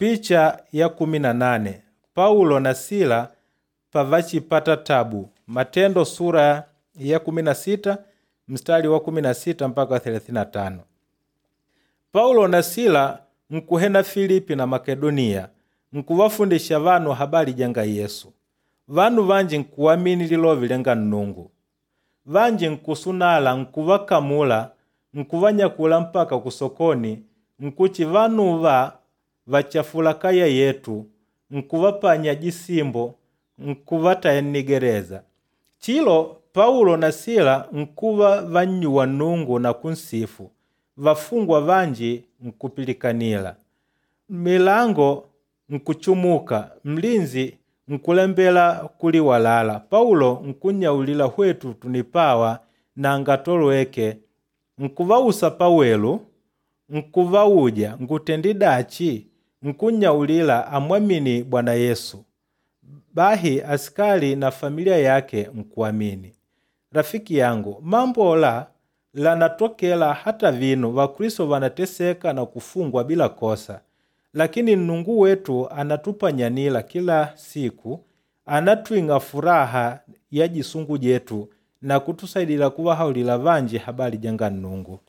Picha ya 18 Paulo na Sila pavachipata tabu. Matendo sura ya 16 mstari wa 16 mpaka 35. Paulo na Sila nkuhena Filipi na Makedoniya nkuvafundisha vanu habali janga Yesu. Vanu vanji nkuamini lilovi lyanga Nnungu. Vanji nkusunala nkuvakamula nkuvanyakula mpaka kusokoni nkuti vanuva vachafula kaya yetu nkuvapanya jisimbo nkuvataya nnigereza. Chilo Paulo na Sila nkuva vannyuwa Nnungu na kunsifu, vafungwa vanji nkupilikanila. Milango nkuchumuka, mlinzi nkulembela kuliwalala. Paulo nkunnyaulila hwetu tunipawa nanga tolweke. Nkuvausa pawelu, nkuvauja ngutendi dachi? Nkunnyaulila amwamini Bwana Yesu. Bahi asikali na familia yake nkuamini. Rafiki yangu, mambo la lanatokela hata vinu Vakristo vanateseka na kufungwa bila kosa. Lakini Nnungu wetu anatupanyanila kila siku, anatwing'a furaha ya jisungu jetu na kutusaidila kuvahaulila vanji habali janga Nnungu.